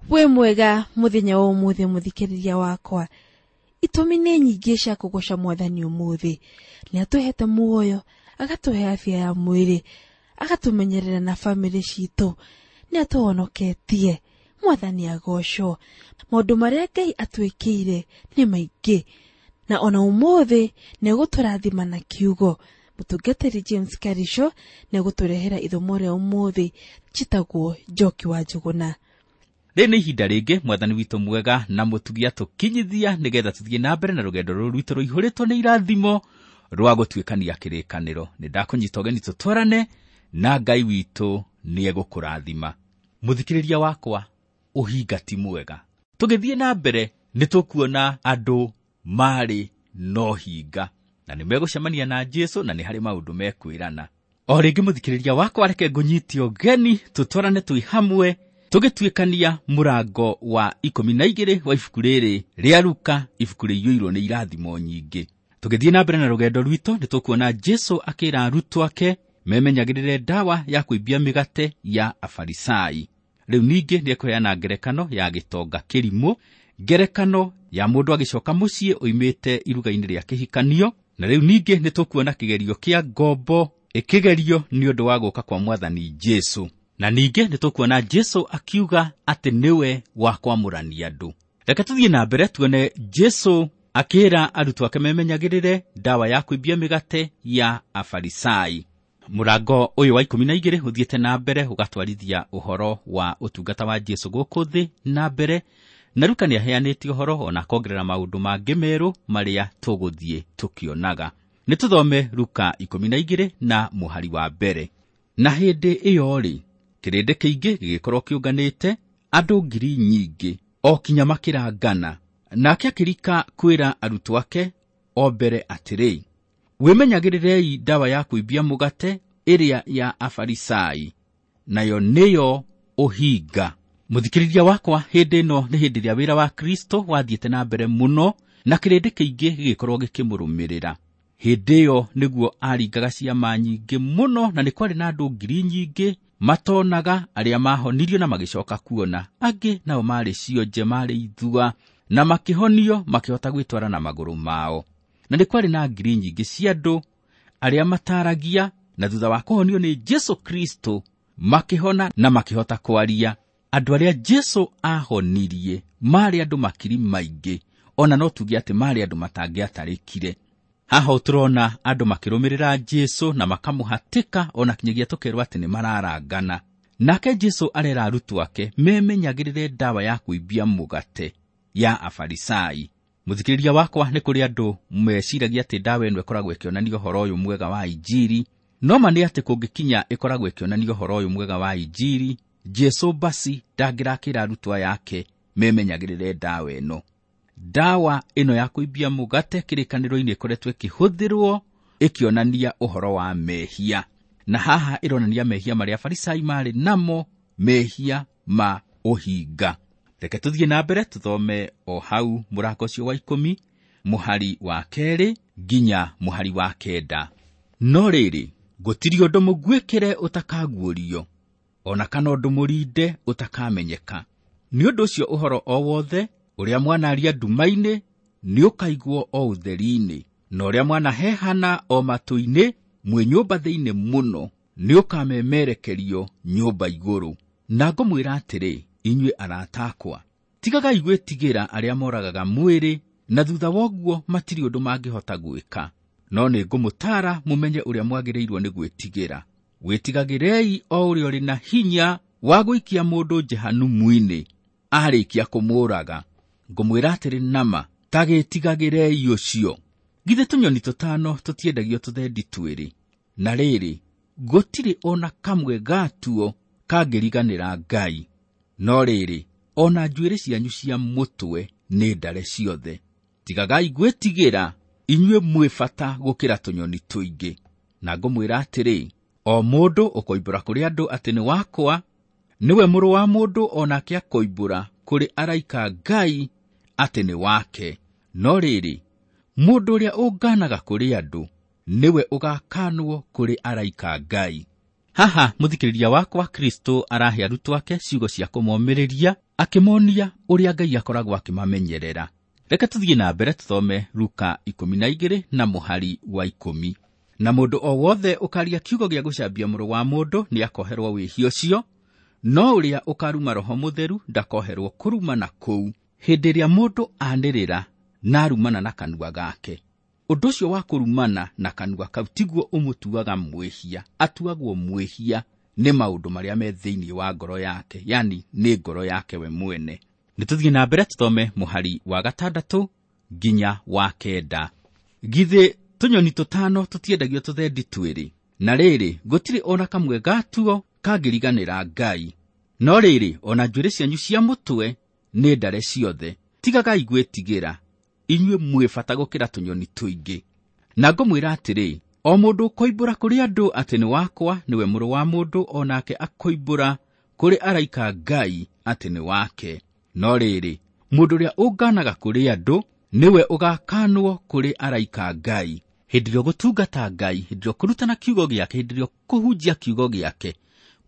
Wĩ mwega mũthenya wa ũmũthĩ mũthikĩrĩria wakwa. Itũmi nĩ nyingĩ cia kũgoca mwathani ũmũthĩ. Nĩ atũhete muoyo, agatũhe afya ya mwĩrĩ, agatũmenyerera na bamĩrĩ citũ, nĩ atũhonoketie. Mwathani agocwo. Maũndũ marĩa Ngai atwĩkĩire nĩ maingĩ, na ona ũmũthĩ nĩ egũtũrathima na kiugo. Mũtungatĩri James Karisho nĩ egũtũrehera ithomo rĩa ũmũthĩ njĩtagwo Njoki wa Njũgũna. Rĩrĩ nĩ ihinda rĩngĩ mwathani witũ mwega na mũtugi atũkinyithia nĩgetha tũthiĩ na mbere na rũgendo rũrũ rwitũ rũihũrĩtwo nĩ irathimo rwa gũtuĩkania kĩrĩkanĩro. Nĩ ndakũnyita ũgeni tũtwarane na Ngai witũ nĩ egũkũrathima. Mũthikĩrĩria wakwa, ũhinga ti mwega. Tũgĩthiĩ na mbere nĩ tũkuona andũ marĩ na ũhinga na nĩ megũcemania na Jesũ na nĩ harĩ maũndũ mekwĩrana. O rĩngĩ mũthikĩrĩria wakwa, reke ngũnyite ũgeni tũtwarane twĩ hamwe tũgĩtuĩkania mũrango wa 12 wa ibuku rĩrĩ rĩa Luka, ibuku rĩiyũirwo nĩ irathimo nyingĩ. Tũgĩthiĩ na mbere na rũgendo rwitũ nĩ tũkuona Jesũ akĩra arutwo ake memenyagĩrĩre ndawa ya kũimbia mĩgate ya Afarisai. Rĩu ningĩ nĩ ekũheana ngerekano ya gĩtonga kĩrimũ, ngerekano ya mũndũ agĩcoka mũciĩ oimĩte iruga-inĩ rĩa kĩhikanio, na rĩu ningĩ nĩ tũkuona kĩgerio kĩa ngombo ĩkĩgerio nĩ ũndũ wa gũka kwa mwathani Jesũ. Na ningĩ nĩ tũkuona Jesũ akiuga atĩ nĩwe wa kwamũrania andũ. Reke tũthiĩ na mbere tuone Jesũ akĩra arutwo ake memenyagĩrĩre ndawa ya kũimbia mĩgate ya Afarisai. Mũrango ũyũ wa 12 ũthiĩte na mbere ũgatwarithia ũhoro wa ũtungata wa Jesũ gũkũ thĩ na mbere, na Luka nĩ aheanĩte ũhoro ona akongerera maũndũ mangĩ merũ marĩa tũgũthiĩ tũkĩonaga. Nĩ tũthome Luka 12 na mũhari wa mbere. Na hĩndĩ ĩyo rĩ, kĩrĩndĩ kĩingĩ gĩgĩkorwo kĩũnganĩte, andũ ngiri nyingĩ, o kinya makĩrangana. Nake akĩrika kwĩra arutwo ake o mbere atĩrĩ, wĩmenyagĩrĩrei ndawa ya kũimbia mũgate ĩrĩa ya Afarisai, nayo nĩyo ũhinga. Mũthikĩrĩria wakwa, hĩndĩ ĩno nĩ hĩndĩ ĩrĩa wĩra wa Kristo wathiĩte na mbere mũno na kĩrĩndĩ kĩingĩ gĩgĩkorwo gĩkĩmũrũmĩrĩra. Hĩndĩ ĩyo nĩguo aringaga ciama nyingĩ mũno, na nĩ kwarĩ na andũ ngiri nyingĩ matonaga arĩa mahonirio na magĩcoka kuona. Angĩ nao marĩ cionje, marĩ ithua, na makĩhonio makĩhota gwĩtwara na magũrũ mao. Na nĩ kwarĩ na ngiri nyingĩ cia andũ arĩa mataragia, na thutha wa kũhonio nĩ Jesũ Kristo makĩhona na makĩhota kwaria. Andũ arĩa Jesũ ahonirie marĩ andũ makiri maingĩ, ona no tuge atĩ marĩ andũ matangĩatarĩkire. Haha tũrona andũ makĩrũmĩrĩra Jesũ na makamũhatĩka, ona kinyagia tũkerwo atĩ nĩ mararangana. Nake Jesũ arera arutwo ake memenyagĩrĩre ndawa ya kũimbia mũgate ya Afarisai. Mũthikĩrĩria wakwa, nĩ kũrĩ andũ meciragia atĩ ndawa ĩno ĩkoragwo ĩkĩonania ũhoro ũyũ mwega wa Injiri, no ma nĩ atĩ kũngĩkinya ĩkoragwo ĩkĩonania ũhoro ũyũ mwega wa Injiri, Jesũ basi ndangĩrakĩra arutwo aya ake memenyagĩrĩre ndawa ĩno. Ndawa ĩno ya kũimbia mũgate kĩrĩkanĩro-inĩ ĩkoretwo ĩkĩhũthĩrwo ĩkĩonania ũhoro wa mehia, na haha ĩronania mehia marĩa Afarisai marĩ namo, mehia ma ũhinga. Reke tũthiĩ na mbere tũthome o hau mũrango ũcio wa 10 mũhari wa 2 nginya mũhari wa 9. No rĩrĩ, gũtirĩ ũndũ mũguĩkĩre ũtakaguũrio, ona kana ũndũ mũrinde ũtakamenyeka. Nĩ ũndũ ũcio ũhoro o wothe ũrĩa mwanaria nduma-inĩ nĩũkaigwo o ũtheri-inĩ, na ũrĩa mwanahehana o matũ-inĩ mwĩ nyũmba thĩinĩ mũno nĩũkamemerekerio nyũmba igũrũ. Na ngũmwĩra atĩrĩ, inyuĩ arata akwa, tigagai gwĩtigĩra arĩa moragaga mwĩrĩ, na thutha wa ũguo matirĩ ũndũ mangĩhota gwĩka. No nĩ ngũmũtaara mũmenye ũrĩa mwagĩrĩirwo nĩ gwĩtigĩra. Wĩtigagĩrei o ũrĩa ũrĩ na hinya wa gũikia mũndũ Jehanumu-inĩ arĩkia kũmũũraga. Ngũmwĩra atĩrĩ nama, ta gĩtigagĩrei ũcio. Githĩ tũnyoni tũtano tũtiendagio tũthendi twĩrĩ? Na rĩrĩ, gũtirĩ ona kamwe gatuo kangĩriganĩra Ngai. No rĩrĩ, ona njuĩrĩ cianyu cia mũtwe nĩ ndare ciothe. Tigagai gwĩtigĩra, inyuĩ mwĩ bata gũkĩra tũnyoni tũingĩ. Na ngũmwĩra atĩrĩ, o mũndũ ũkoimbũra kũrĩ andũ atĩ nĩ wakwa, nĩwe mũrũ wa mũndũ onake akoimbũra kũrĩ araika Ngai atĩ nĩ wake. No rĩrĩ, mũndũ ũrĩa ũnganaga kũrĩ andũ, nĩwe ũgakanwo kũrĩ araika Ngai. Haha mũthikĩrĩria wakwa, Kristo arahe arutwo ake ciugo cia kũmomĩrĩria, akĩmonia ũrĩa Ngai akoragwo akĩmamenyerera. Reke tũthiĩ na mbere tũthome Luka 12 na mũhari wa 10. Na mũndũ o wothe ũkaria kiugo gĩa gũcambia mũrũ wa mũndũ nĩakoherwo wĩhia ũcio, no ũrĩa ũkaruma Roho Mũtheru ndakoherwo kũrumana kũu. Hĩndĩ ĩrĩa mũndũ anĩrĩra na arumana na kanua gake, ũndũ ũcio wa kũrumana na kanua kau tiguo ũmũtuaga mwĩhia. Atuagwo mwĩhia nĩ maũndũ marĩa me thĩinĩ wa ngoro yake, yani nĩ ngoro yake we mwene. Nĩ tũthiĩ na mbere tũthome mũhari wa 6 nginya wa 9. Githĩ tũnyoni tũtano tũtiendagio tũthendi twĩrĩ? Na rĩrĩ, gũtirĩ ona kamwe gatuo kangĩriganĩra Ngai. No rĩrĩ, ona njuĩrĩ cianyu cia mũtwe nĩ ndare ciothe. Tigagai gwĩtigĩra, inyuĩ mwĩ bata gũkĩra tũnyoni tũingĩ. Na ngũmwĩra atĩrĩ, o mũndũ ũkoimbũra kũrĩ andũ atĩ nĩ wakwa, nĩwe mũrũ wa mũndũ, o nake akoimbũra kũrĩ araika Ngai atĩ nĩ wake. No rĩrĩ, mũndũ ũrĩa ũnganaga kũrĩ andũ, nĩwe ũgakanwo kũrĩ araika Ngai. Hĩndĩ ĩrĩa ũgũtungata Ngai, hĩndĩ ĩrĩa ũkũrutana kiugo gĩake, hĩndĩ ĩrĩa ũkũhunjia kiugo gĩake,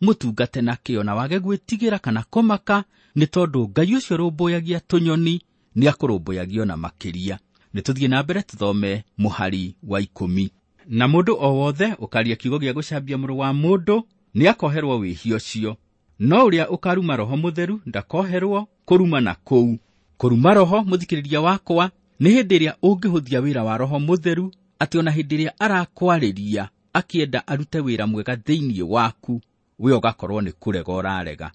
mũtungate na kĩo na wage gwĩtigĩra kana kũmaka, nĩ tondũ Ngai ũcio ũrũmbũyagia tũnyoni nĩakũrũmbũyagia ona makĩria. Nĩ tũthiĩ na mbere tũthome mũhari wa 10. Na mũndũ o wothe ũkaria kiugo gĩa gũcambia mũrũ wa mũndũ nĩakoherwo wĩhia ũcio, no ũrĩa ũkaruma Roho Mũtheru ndakoherwo kũrumana kũu. Kũruma Roho, mũthikĩrĩria wakwa, nĩ hĩndĩ ĩrĩa ũngĩhũthia wĩra wa Roho Mũtheru, atĩ ona hĩndĩ ĩrĩa arakwarĩria akĩenda arute wĩra mwega thĩinĩ waku, we ũgakorwo nĩ kũrega ũrarega.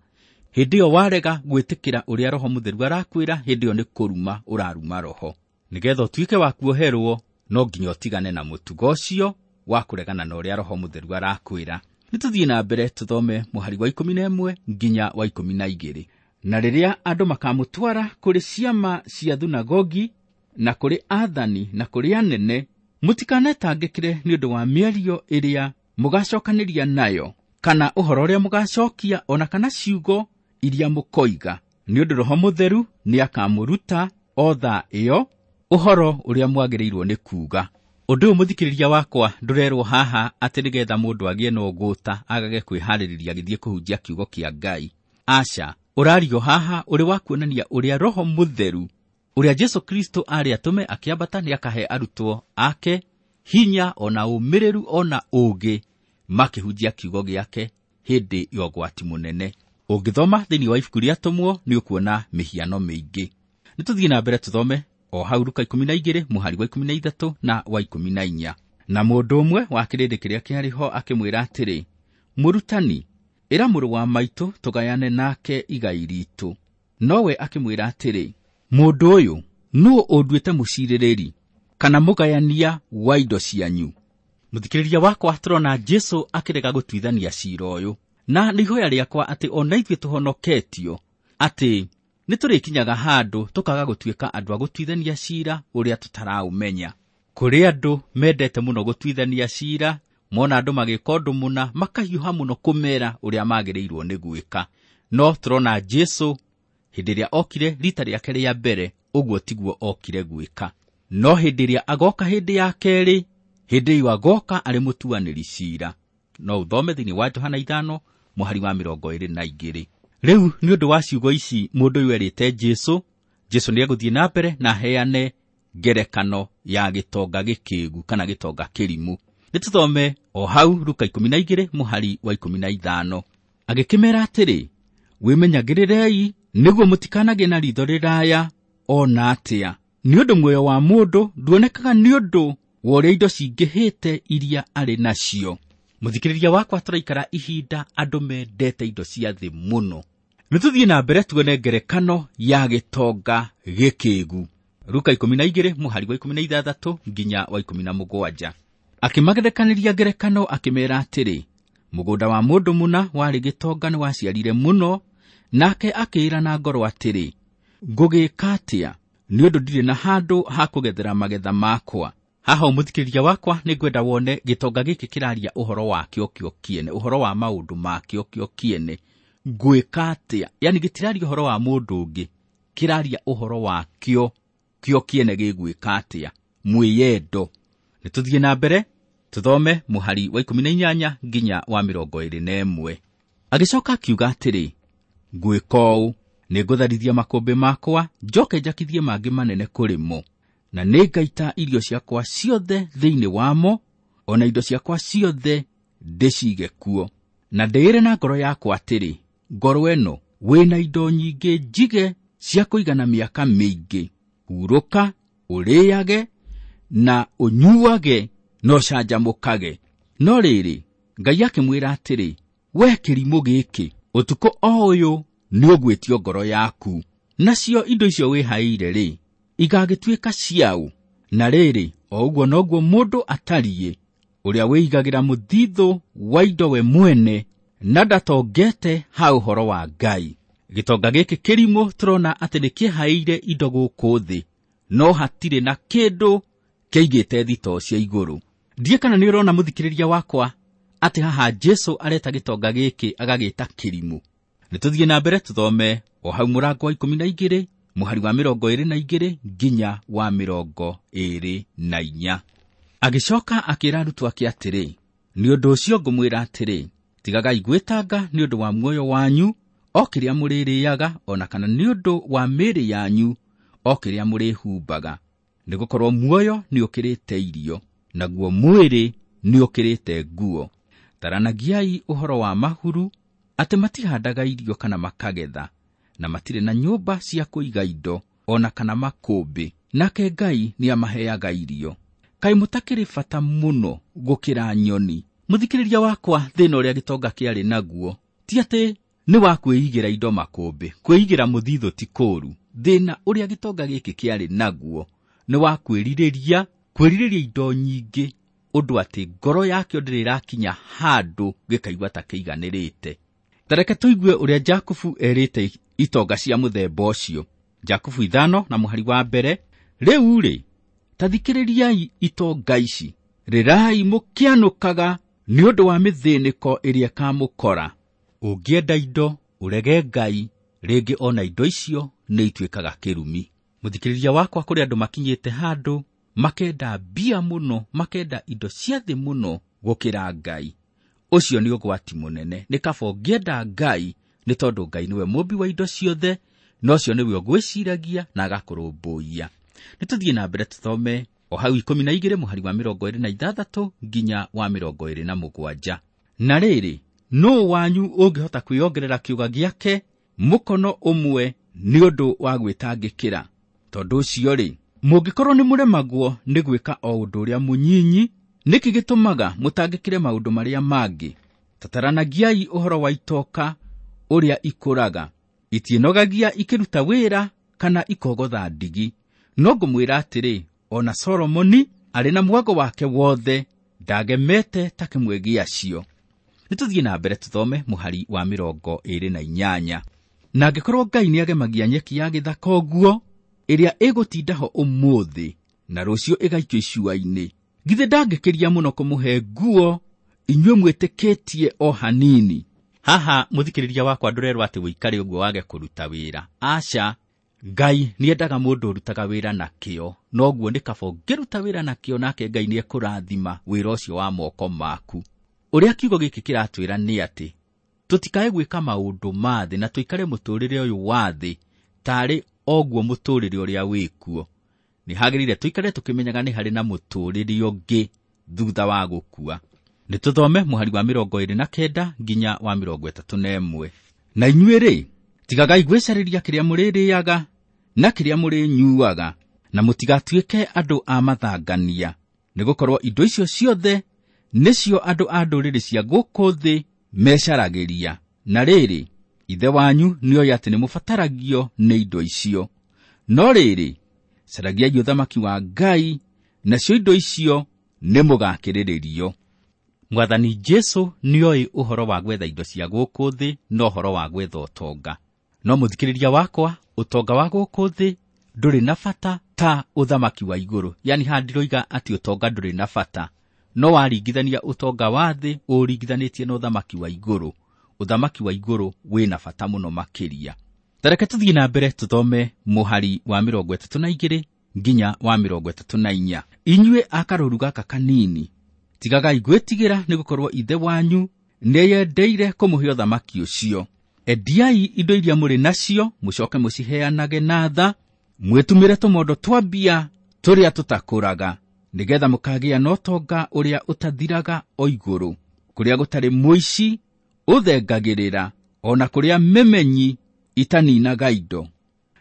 Hĩndĩ ĩyo warega gwĩtĩkĩra ũrĩa Roho Mũtheru arakwĩra, hĩndĩ ĩyo nĩ kũruma ũraruma Roho. Nĩgetha ũtuĩke wa kuoherwo, no nginya ũtigane na mũtugo ũcio wa kũregana na ũrĩa Roho Mũtheru arakwĩra. Nĩ tũthiĩ na mbere tũthome mũhari wa 11 nginya wa 12. Na rĩrĩa andũ makamũtwara kũrĩ ciama cia thunagogi na kũrĩ aathani na kũrĩ anene, mũtikanetangĩkĩre nĩ ũndũ wa mĩario ĩrĩa mũgacokanĩria nayo, kana ũhoro ũrĩa mũgacokia, ona kana ciugo iria mũkoiga, nĩ ũndũ Roho Mũtheru nĩakamũruta o thaa ĩyo ũhoro ũrĩa mwagĩrĩirwo nĩ kuuga. Ũndũ ũyũ mũthikĩrĩria wakwa ndũrerwo haha atĩ nĩgetha mũndũ agĩe na ũgũta agage kwĩharĩrĩria agĩthiĩ kũhunjia kiugo kĩa Ngai. Aca, ũrario haha ũrĩ wa kuonania ũrĩa Roho Mũtheru, ũrĩa Jesũ Kristo arĩ atũme akĩambata, nĩakahe arutwo ake hinya ona ũmĩrĩru ona ũũgĩ makĩhunjia kiugo gĩake hĩndĩ ya ũgwati mũnene. Ũngĩthoma thĩinĩ wa ibuku rĩa Atũmwo nĩ ũkuona mĩhiano mĩingĩ. Nĩ tũthiĩ na mbere tũthome o hau Luka 12 mũhari wa 13 na wa 14. Na mũndũ ũmwe wa kĩrĩndĩ kĩrĩa kĩarĩ ho akĩmwĩra atĩrĩ, Mũrutani, ĩra mũrũ wa maitũ tũgayane nake igai ritũ. Nowe akĩmwĩra atĩrĩ, mũndũ ũyũ, nũũ ũnduĩte mũcirĩrĩri kana mũgayania wa indo cianyu? Mũthikĩrĩria wakwa, tũrona Jesũ akĩrega gũtuithania cira ũyũ, na nĩ ihoya rĩakwa atĩ ona ithuĩ tũhonoketio atĩ nĩ tũrĩkinyaga handũ tũkaga gũtuĩka andũ a gũtuithania cira ũrĩa tũtaraũmenya. Kũrĩ andũ mendete mũno gũtuithania cira, mona andũ magĩka ũndũ mũna makahiũha mũno kũmera ũrĩa magĩrĩirwo nĩ gwĩka. No tũrona Jesũ hĩndĩ ĩrĩa okire rita rĩake rĩa mbere, ũguo tiguo okire gwĩka. No hĩndĩ ĩrĩa agoka hĩndĩ ya kerĩ, hĩndĩ ĩyo agoka arĩ mũtuanĩri cira. No ũthome thĩinĩ wa Johana 5 mũhari wa 22. Rĩu nĩ ũndũ wa ciugo ici mũndũ ũyũ erĩte Jesũ, Jesũ nĩegũthiĩ na mbere na aheane ngerekano ya gĩtonga gĩkĩgu kana gĩtonga kĩrimũ. Nĩ tũthome o hau Luka 12 mũhari wa 15. Agĩkĩmera atĩrĩ, wĩmenyagĩrĩrei nĩguo mũtikanagĩe na ritho rĩraya ona atĩa, nĩ ũndũ muoyo wa mũndũ nduonekaga nĩ ũndũ wa ũrĩa indo cingĩhĩte iria arĩ nacio. Mũthikĩrĩria wakwa, tũraikara ihinda andũ mendete indo cia thĩ mũno. Nĩ tũthiĩ na mbere tuone ngerekano ya gĩtonga gĩkĩgu. Luka 12 mũhari wa 16 nginya wa 17. Akĩmagerekanĩria ngerekano akĩmera atĩrĩ, mũgũnda wa mũndũ mũna warĩ gĩtonga nĩwaciarire mũno, nake akĩĩra na ngoro atĩrĩ, ngũgĩka atĩa nĩ ũndũ ndirĩ na handũ ha kũgethera magetha makwa. Haha mũthikĩrĩria wakwa, nĩngwenda wone gĩtonga gĩkĩ kĩraria ũhoro wakĩo kĩo kĩene, ũhoro wa maũndũ makĩo kĩo kĩene. Ngwĩka atĩa? Yani gĩtiraria ũhoro wa mũndũ ũngĩ, kĩraria ũhoro wakĩo kĩo kĩene gĩgwĩka atĩa, mwĩyendo. Nĩ tũthiĩ na mbere Tũthome mũhari wa 18 nginya wa 21. Agĩcoka akiuga atĩrĩ, ngwĩka ũũ, nĩngũtharithia makũmbĩ makwa, njoke njakithie mangĩ manene kũrĩ mo, na nĩngaita irio ciakwa ciothe thĩinĩ wamo, ona indo ciakwa ciothe ndĩcige kuo. Na ndĩĩre na ngoro yakwa atĩrĩ, ngoro ĩno wĩna indo nyingĩ njige cia kũigana mĩaka mĩingĩ, hurũka, ũrĩage na ũnyuage na ũcanjamũkage. No rĩrĩ, Ngai akĩmwĩra atĩrĩ, we kĩrimũ gĩkĩ, ũtukũ o ũyũ nĩũgwĩtio ngoro yaku, nacio indo icio wĩhaĩire rĩ, igagĩtuĩka ciaũ? Na rĩrĩ, o ũguo noguo mũndũ atariĩ, ũrĩa wĩigagĩra mũthithũ wa indo we mwene na ndatongete ha ũhoro wa Ngai. Gĩtonga gĩkĩ kĩrimũ tũrona atĩ nĩkĩhaĩire indo gũkũ thĩ, no hatirĩ na kĩndũ kĩaigĩte thitoo cia igũrũ. Ndiĩ kana nĩ ũrona mũthikĩrĩria wakwa atĩ haha Jesũ areta gĩtonga gĩkĩ agagĩta kĩrimũ. Nĩ tũthiĩ na mbere tũthome o hau mũrango wa 12 mũhari wa 22 nginya wa 24. Agĩcoka akĩra arutwo ake atĩrĩ, nĩ ũndũ ũcio ngũmwĩra atĩrĩ, tigagai gwĩtanga nĩ ũndũ wa muoyo wanyu, o kĩrĩa mũrĩrĩaga, ona kana nĩ ũndũ wa mĩĩrĩ yanyu, o kĩrĩa mũrĩhumbaga. Nĩgũkorwo muoyo nĩũkĩrĩte irio, naguo mwĩrĩ nĩũkĩrĩte nguo. Taranagiai ũhoro wa mahuru, atĩ matihandaga irio kana makagetha, na matirĩ na nyũmba cia kũiga indo, ona kana makũmbĩ, nake Ngai nĩamaheaga irio. Kaĩ mũtakĩrĩ bata mũno gũkĩra nyoni? Mũthikĩrĩria wakwa, thĩna ũrĩa gĩtonga kĩarĩ naguo ti atĩ nĩ wa kwĩigĩra indo makũmbĩ, kwĩigĩra mũthithũ ti kũũru. Thĩna ũrĩa gĩtonga gĩkĩ kĩarĩ naguo nĩ wa kwĩrirĩria indo nyingĩ, ũndũ atĩ ngoro yakĩo ndĩrĩ ĩrakinya handũ gĩkaigua ta kĩiganĩrĩte. Ta reke tũigue ũrĩa Jakubu erĩte itonga cia mũthemba ũcio. Jakubu 5 na mũhari wa 1, rĩu rĩ, ta thikĩrĩriai itonga ici, rĩrai mũkĩanũkaga nĩ ũndũ wa mĩthĩnĩko ĩrĩa ĩkamũkora. Ũngĩenda indo ũrege Ngai, rĩngĩ ona indo icio nĩ ituĩkaga kĩrumi. Mũthikĩrĩria wakwa, kũrĩ andũ makinyĩte handũ makenda mbia mũno, makenda indo cia thĩ mũno gũkĩra Ngai. Ũcio nĩ ũgwati mũnene. Nĩ kaba ũngĩenda Ngai, nĩ tondũ Ngai nĩwe mũmbi wa indo ciothe, na ũcio nĩwe ũgwĩciragia na agakũrũmbũiya. Nĩ tũthiĩ na mbere tũthome o hau 12 mũhari wa 26 nginya wa 27. Na rĩrĩ, nũũ wanyu ũngĩhota kwĩongerera kĩũga gĩake mũkono ũmwe nĩ ũndũ wa gwĩtangĩkĩra? Tondũ ũcio rĩ, mũngĩkorwo nĩ mũremagwo nĩ gwĩka o ũndũ ũrĩa mũnyinyi, nĩkĩ gĩtũmaga mũtangĩkĩre maũndũ marĩa mangĩ? Tataranagiai ũhoro wa itoka ũrĩa ikũraga, itiĩnogagia ikĩruta wĩra kana ikogotha ndigi. No ngũmwĩra atĩrĩ, ona Solomoni arĩ na mwago wake wothe ndagemete ta kĩmwe gĩacio. Nĩ tũthiĩ na mbere tũthome mũhari wa 28. Na angĩkorwo Ngai nĩagemagia nyeki ya gĩthaka ũguo, ĩrĩa ĩgũtinda ho ũmũthĩ na rũciũ ĩgaikio icua-inĩ, githĩ ndangĩkĩria mũno kũmũhe nguo inyuĩ mwĩtĩkĩtie o hanini? Haha mũthikĩrĩria wakwa, ndũrerwo atĩ wĩikare ũguo wage kũruta wĩra. Aca, Ngai nĩendaga mũndũ ũrutaga wĩra na kĩo, noguo nĩ kaba ũngĩruta wĩra na kĩo, nake Ngai nĩekũrathima wĩra ũcio wa moko maku. Ũrĩa kiugo gĩkĩ kĩratwĩra nĩ atĩ tũtikae gwĩka maũndũ ma thĩ na tũikare mũtũrĩre ũyũ wa thĩ tarĩ oguo mũtũrĩre ũrĩa wĩkuo. Nĩ hagĩrĩire tũikare tũkĩmenyaga nĩ harĩ na mũtũrĩre ũngĩ thutha wa gũkua. Nĩ tũthome mũhari wa 29 nginya wa 31. Na inyuĩ rĩ, tigagai gwĩcarĩria kĩrĩa mũrĩrĩaga na kĩrĩa mũrĩnyuaga, na mũtigatuĩke andũ a mathangania, nĩgũkorwo indo icio ciothe nĩcio andũ a ndũrĩrĩ cia gũkũ thĩ mecaragĩria. Na rĩrĩ, Ithe wanyu nĩoĩ atĩ nĩmũbataragio nĩ indo icio. No rĩrĩ, caragiai ũthamaki wa Ngai, nacio indo icio nĩmũgakĩrĩrĩrio. Mwathani Jesũ nĩoĩ ũhoro wa gwetha indo cia gũkũ thĩ na ũhoro wa gwetha ũtonga. No mũthikĩrĩria wakwa, ũtonga wa gũkũ thĩ ndũrĩ na bata ta ũthamaki wa igũrũ. Yani haha ndiroiga atĩ ũtonga ndũrĩ na bata, no waringithania ũtonga wa thĩ ũringithanĩtie na ũthamaki wa igũrũ, ũthamaki wa igũrũ wĩna bata mũno makĩria. Ta reke tũthiĩ na mbere tũthome mũhari wa 32 nginya wa 34. Inyuĩ a karũũru gaka kanini, Tigagai gwĩtigĩra, nĩgũkorwo Ithe wanyu nĩeyendeire kũmũhe ũthamaki ũcio. Endiai indo iria mũrĩ nacio, mũcoke mũciheanage na tha, mwĩtumĩre tũmondo twa mbia tũrĩa tũtakũraga, nĩgetha mũkagĩa na ũtonga ũrĩa ũtathiraga o igũrũ, kũrĩa gũtarĩ mũici ũthengagĩrĩra, ona kũrĩa memenyi itaninaga indo.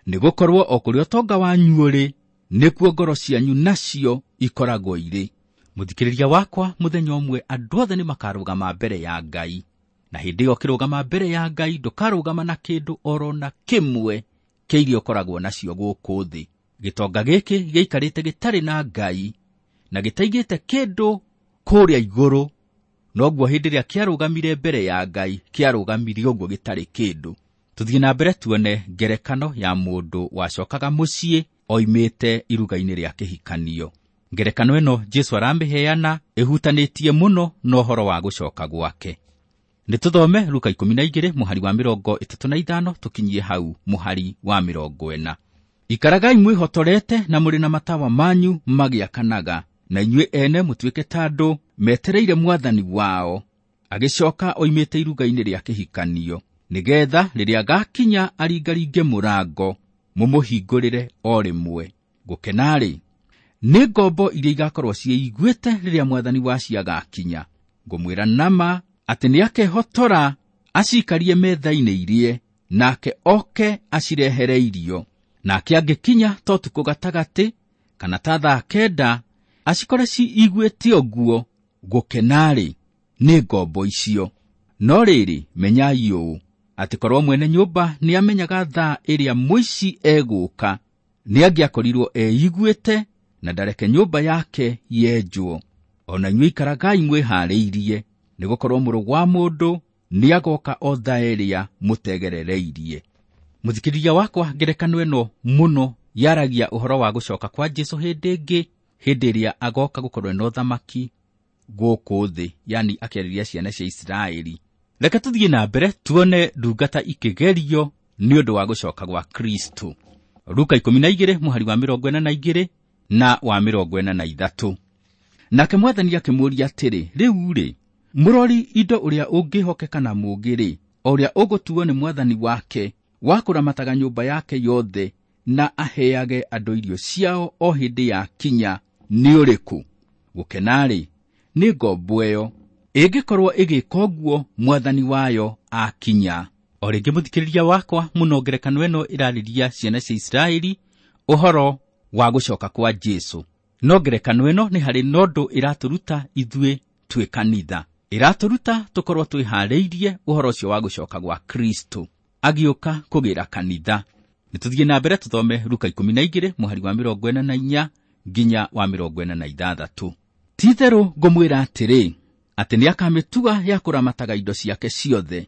Nĩgũkorwo o kũrĩa ũtonga wanyu ũrĩ, nĩkuo ngoro cianyu nacio ikoragwo irĩ. Mũthikĩrĩria wakwa, mũthenya ũmwe andũ othe nĩmakarũgama mbere ya Ngai, na hĩndĩ ĩyo ũkĩrũgama mbere ya Ngai ndũkarũgama na kĩndũ oro na kĩmwe kĩa iria ũkoragwo nacio gũkũ thĩ. Gĩtonga gĩkĩ gĩikarĩte gĩtarĩ na Ngai na gĩtaigĩte kĩndũ kũrĩa igũrũ, noguo hĩndĩ ĩrĩa kĩarũgamire mbere ya Ngai kĩarũgamire ũguo gĩtarĩ kĩndũ. Tũthiĩ na mbere tuone ngerekano ya mũndũ wacokaga mũciĩ oimĩte iruga-inĩ rĩa kĩhikanio. Ngerekano ĩno Jesũ aramĩheana ĩhutanĩtie mũno na ũhoro wa gũcoka gwake. Nĩ tũthome Luka 12 mũhari wa 35 tũkinyie hau mũhari wa 40. Ikaragai mwĩhotorete na mũrĩ na matawa manyu magĩakanaga, na inyuĩ ene mũtuĩke ta andũ metereire mwathani wao agĩcoka oimĩte iruga-inĩ rĩa kĩhikanio, nĩgetha rĩrĩa agakinya aringaringe mũrango mũmũhingũrĩre o rĩmwe. Gũkena-rĩ, nĩ ngombo iria igakorwo ciĩiguĩte rĩrĩa mwathani wacio agakinya. Ngũmwĩra nama atĩ nĩakehotora acikarie metha-inĩ irie, nake oke acirehere irio. Nake angĩkinya ta ũtukũ gatagatĩ kana ta thaa 9 acikore ciiguĩte ũguo, gũkena-rĩ, nĩ ngombo icio. No rĩrĩ, menyai ũũ, atĩ korwo mwene nyũmba nĩamenyaga thaa ĩrĩa mũici egũka, nĩangĩakorirwo eiguĩte na ndareke nyũmba yake yenjwo. Ona inyuĩ ikaragai mwĩharĩirie, nĩgũkorwo Mũrũ wa Mũndũ nĩagoka o thaa ĩrĩa mũtegerereirie. Mũthikĩrĩria wakwa, ngerekano ĩno mũno yaragia ũhoro wa gũcoka kwa Jesũ hĩndĩ ĩngĩ, hĩndĩ ĩrĩa agoka gũkorwo na ũthamaki gũkũ thĩ, yani akĩarĩria ciana cia Isiraeli. Reke tũthiĩ na mbere tuone ndungata ikĩgerio nĩ ũndũ wa gũcoka gwa Kristo. Luka 12 mũhari wa 42 na wa 43. Nake mwathani akĩmũũria atĩrĩ, rĩu-rĩ, mũrori indo ũrĩa ũngĩhokeka na mũũgĩ-rĩ, o ũrĩa ũgũtuo nĩ mwathani wake wa kũramataga nyũmba yake yothe na aheage andũ irio ciao o hĩndĩ ya kinya nĩ ũrĩkũ? Gũkena-rĩ, nĩ ngombo ĩyo ĩngĩkorwo ĩgĩka ũguo mwathani wayo akinya. O rĩngĩ mũthikĩrĩria wakwa, mũno ngerekano ĩno ĩrarĩria ciana cia Isiraeli ũhoro wa gũcoka kwa Jesũ. No ngerekano ĩno nĩ harĩ na ũndũ ĩratũruta ithuĩ twĩ kanitha. Ĩratũruta tũkorwo twĩharĩirie ũhoro ũcio wa gũcoka gwa Kristo agĩũka kũgĩra kanitha. Nĩ tũthiĩ na mbere tũthome Luka 12 mũhari wa 44 nginya wa 46. Ti-itherũ ngũmwĩra atĩrĩ, atĩ nĩakamĩtua ya kũramataga indo ciake ciothe.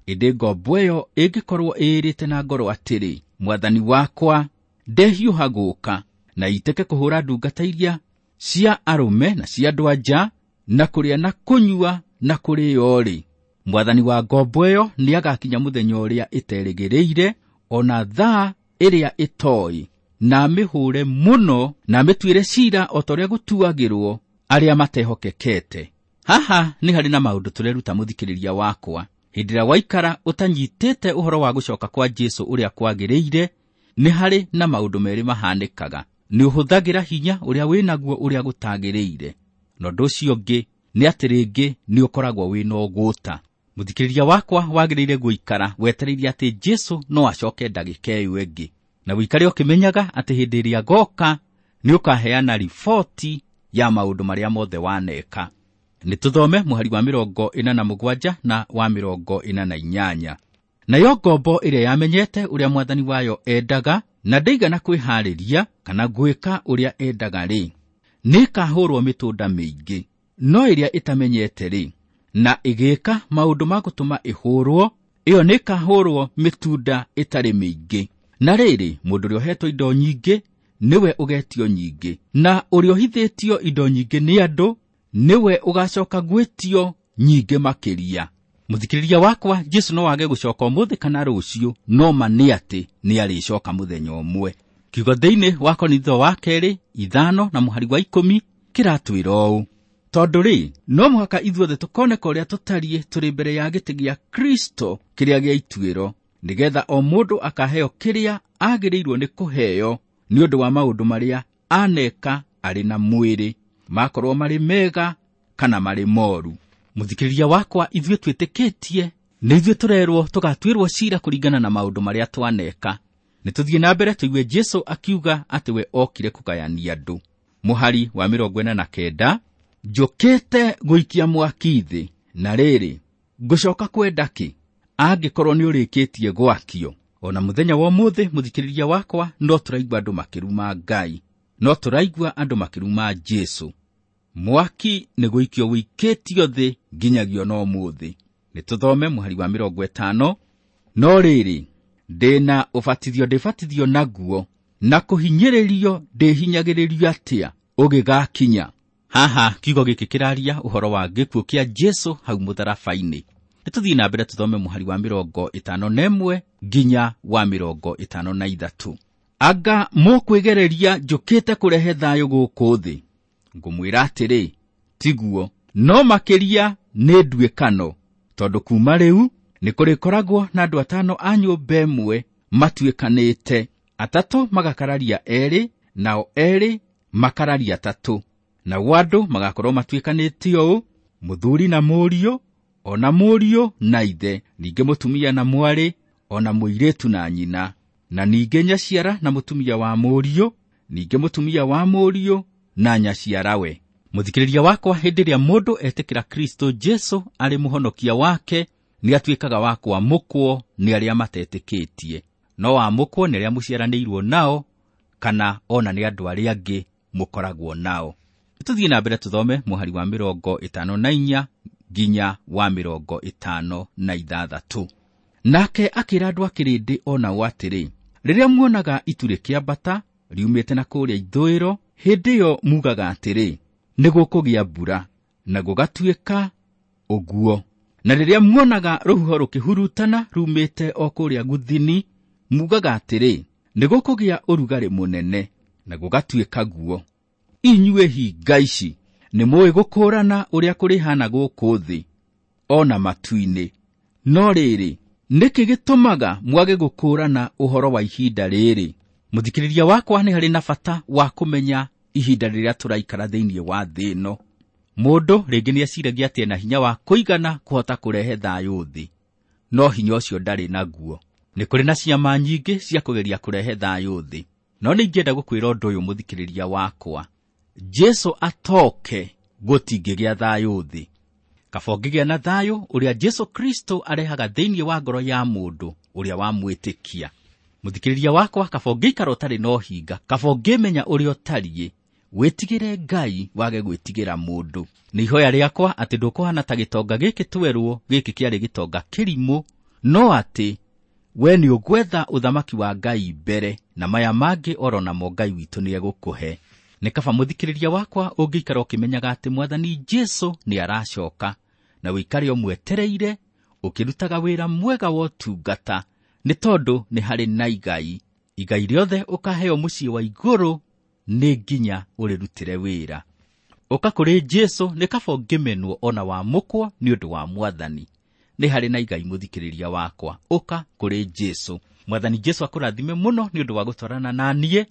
Ĩndĩ ngombo ĩyo ĩngĩkorwo ĩĩrĩte na ngoro atĩrĩ, mwathani wakwa ndehiũha gũũka, na itĩke kũhũra ndungata iria cia arũme na cia andũ-a-nja, na kũrĩa na kũnyua na kũrĩo-rĩ, mwathani wa ngombo ĩyo nĩagakinya mũthenya ũrĩa ĩterĩgĩrĩire, ona thaa ĩrĩa ĩtooĩ, na amĩhũre mũno na amĩtuĩre ciira o ta ũrĩa gũtuagĩrwo arĩa matehokekete. Haha nĩ harĩ na maũndũ tũreruta mũthikĩrĩria wakwa. Hĩndĩ ĩrĩa waikara ũtanyitĩte ũhoro wa gũcoka kwa Jesũ ũrĩa kwagĩrĩire, nĩ harĩ na maũndũ merĩ mahanĩkaga. Nĩ ũhũthagĩra hinya ũrĩa wĩnaguo ũrĩa gũtagĩrĩire, na ũndũ ũcio ũngĩ nĩ atĩ rĩngĩ nĩ ũkoragwo wĩna ũgũta. Mũthikĩrĩria wakwa, wagĩrĩire gũikara wetereire atĩ Jesũ no acoke ndagĩka ĩyo ĩngĩ, na ũikare ũkĩmenyaga atĩ hĩndĩ ĩrĩa agoka nĩ ũkaheana riboti ya maũndũ marĩa mothe waneka. Nĩ tũthome mũhari wa 47 na wa 48. Nayo ngombo ĩrĩa yamenyete ũrĩa mwathani wayo endaga na ndaigana kwĩharĩria kana gwĩka ũrĩa endaga-rĩ, nĩĩkahũrwo mĩtũnda mĩingĩ. No ĩrĩa ĩtamenyete-rĩ, na ĩgĩka maũndũ ma gũtũma ĩhũrwo, ĩyo nĩĩkahũrwo mĩtunda ĩtarĩ mĩingĩ. Na rĩrĩ, mũndũ ũrĩa ũhetwo indo nyingĩ nĩwe ũgetio nyingĩ, na ũrĩa ũhithĩtio indo nyingĩ nĩ andũ nĩwe ũgacoka gwĩtio nyingĩ makĩria. Mũthikĩrĩria wakwa, Jesũ no age gũcoka ũmũthĩ kana rũciũ, no ma nĩ atĩ nĩarĩcoka mũthenya ũmwe. Kiugo thĩinĩ wa Korintho wa kerĩ 5 na mũhari wa 10 kĩratwĩra ũũ: Tondũ rĩ, no mũhaka ithuothe tũkoneka ũrĩa tũtariĩ tũrĩ mbere ya gĩtĩ gĩa Kristo kĩrĩa gĩa ituĩro, nĩgetha o mũndũ akaheo kĩrĩa agĩrĩirwo nĩ kũheo nĩ ũndũ wa maũndũ marĩa aneka arĩ na mwĩrĩ, makorwo marĩ mega kana marĩ moru. Mũthikĩrĩria wakwa, ithuĩ twĩtĩkĩtie nĩ ithuĩ tũrerwo tũgatuĩrwo ciira kũringana na maũndũ marĩa twaneka. Nĩ tũthiĩ na mbere tũigue Jesũ akiuga atĩ we okire kũgayania andũ. Mũhari wa 49, njũkĩte gũikia mwaki thĩ, na rĩrĩ, ngũcoka kwenda kĩ angĩkorwo nĩ ũrĩkĩtie gwakio? Ona mũthenya wa ũmũthĩ, mũthikĩrĩria wakwa, no tũraigua andũ makĩruma Ngai, no tũraigua andũ makĩruma Jesũ. Mwaki nĩ gũikio wĩikĩtio thĩ nginyagia ona ũmũthĩ. Nĩ tũthome mũhari wa 50, no rĩrĩ, ndĩna ũbatithio ndĩbatithio naguo, na kũhinyĩrĩrio ndĩhinyagĩrĩrio atĩa ũgĩgakinya. Haha kiugo gĩkĩ kĩraria ũhoro wa gĩkuũ kĩa Jesũ hau mũtharaba-inĩ. Nĩ tũthiĩ na mbere tũthome mũhari wa 51 nginya wa 53. Anga mũkwĩgereria njũkĩte kũrehe thayũ gũkũ thĩ? Ngũmwĩra atĩrĩ, tiguo, no makĩria nĩ nduĩkano, tondũ kuma rĩu nĩ kũrĩkoragwo na andũ 5 a nyũmba ĩmwe matuĩkanĩte, 3 magakararia 2, nao 2 makararia 3. Nao andũ magakorwo matuĩkanĩte ũũ, mũthuri na mũriũ, ona mũriũ na ithe, ningĩ mũtumia na mwarĩ, ona mũirĩtu na nyina, na ningĩ nyaciara na mũtumia wa mũriũ, ningĩ mũtumia wa mũriũ na nyaciarawe. Mũthikĩrĩria wakwa, hĩndĩ ĩrĩa mũndũ etĩkĩra Kristo Jesũ arĩ mũhonokia wake, nĩ atuĩkaga wa kwamũkwo nĩ arĩa matetĩkĩtie. No wamũkwo nĩ arĩa mũciaranĩirwo nao, kana ona nĩ andũ arĩa angĩ mũkoragwo nao. Tũthiĩ na mbere tũthome mũhari wa 54 nginya wa 56. Nake akĩra andũ a kĩrĩndĩ o nao atĩrĩ, rĩrĩa muonaga itu rĩkĩambata riumĩte na kũrĩa ithũĩro, hĩndĩ ĩyo mugaga atĩrĩ, nĩ gũkũgĩa mbura, na gũgatuĩka ũguo. Na rĩrĩa muonaga rũhuho rũkĩhurutana rumĩte o kũrĩa gũthini, mugaga atĩrĩ, nĩ gũkũgĩa ũrugarĩ mũnene, na gũgatuĩka guo. Inyuĩ hinga ici, nĩ mũĩ gũkũũrana ũrĩa kũrĩhana gũkũ thĩ, ona matu-inĩ. No rĩrĩ, nĩkĩ gĩtũmaga mwage gũkũũrana ũhoro wa ihinda rĩrĩ? Mũthikĩrĩria wakwa, nĩ harĩ na bata wa kũmenya ihinda rĩrĩa tũraikara thĩinĩ wa thĩ ĩno. Mũndũ rĩngĩ nĩeciragia atĩ ena hinya wa kũigana kũhota kũrehe thayũ thĩ, no hinya ũcio ndarĩ naguo. Nĩ kũrĩ na ciama nyingĩ cia kũgeria kũrehe thayũ thĩ, no nĩ ingĩenda gũkwĩra ũndũ ũyũ mũthikĩrĩria wakwa, Jesũ atoke gũtingĩgĩa thayũ thĩ. Kaba ũngĩgĩa na thayũ ũrĩa Jesũ Kristo arehaga thĩinĩ wa ngoro ya mũndũ ũrĩa wamwĩtĩkia. Mũthikĩrĩria wakwa, kaba ũngĩikara ũtarĩ na ũhinga, kaba ũngĩmenya ũrĩa ũtariĩ, wĩtigĩre Ngai wage gwĩtigĩra mũndũ. Nĩ ihoya rĩakwa atĩ ndũkũhana ta gĩtonga gĩkĩ twerwo, gĩkĩ kĩarĩ gĩtonga kĩrimũ, no atĩ we nĩ ũgwetha ũthamaki wa Ngai mbere, na maya mangĩ oro namo Ngai witũ nĩegũkũhe. Nĩ kaba mũthikĩrĩria wakwa ũngĩikara ũkĩmenyaga atĩ Mwathani Jesũ nĩ aracoka, na ũikare ũmwetereire ũkĩrutaga wĩra mwega wa ũtungata, nĩ tondũ nĩ harĩ na igai. Igai rĩothe ũkaheo mũciĩ wa igũrũ nĩ nginya ũrĩrutĩre wĩra. Ũka kũrĩ Jesũ nĩ kaba ũngĩmenwo ona wamũkwo nĩ ũndũ wa Mwathani. Nĩ harĩ na igai mũthikĩrĩria wakwa, ũka kũrĩ Jesũ. Mwathani Jesũ akũrathime mũno nĩ ũndũ wa gũtwarana na niĩ,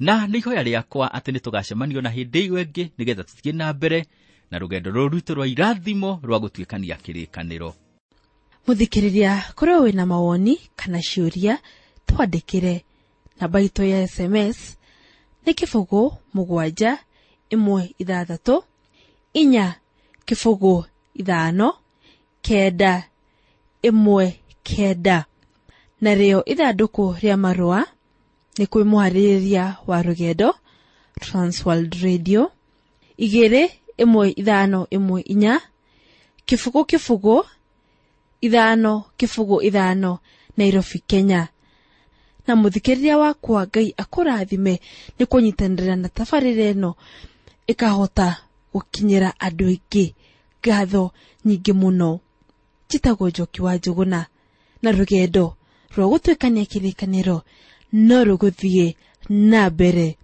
na nĩ ihoya rĩakwa atĩ nĩ tũgacemanio na hĩndĩ ĩyo ĩngĩ nĩgetha tũthiĩ na mbere na rũgendo rũrũ rwitũ rwa irathimo rwa gũtuĩkania kĩrĩkanĩro. Mũthikĩrĩria, korwo wĩna mawoni kana ciũria, twandĩkĩre. Namba itũ ya SMS nĩ 0 7 1 6 4 0 5 9 1 9. Narĩo ithandũkũ rĩa marũa nĩ kwĩ mũharĩrĩria wa rũgendo Transworld Radio 2 1 5 1 4 0 0 5 0 5 Nairobi, Kenya. Na mũthikĩrĩria wakwa, Ngai akũrathime nĩ kũnyitanĩra na tabarĩra ĩno ĩkahota gũkinyĩra andũ aingĩ. Ngatho nyingĩ mũno. Njĩtagwo Njoki wa Njũgũna, na rũgendo rwa gũtuĩkania kĩrĩkanĩro no rũgũthiĩ na mbere.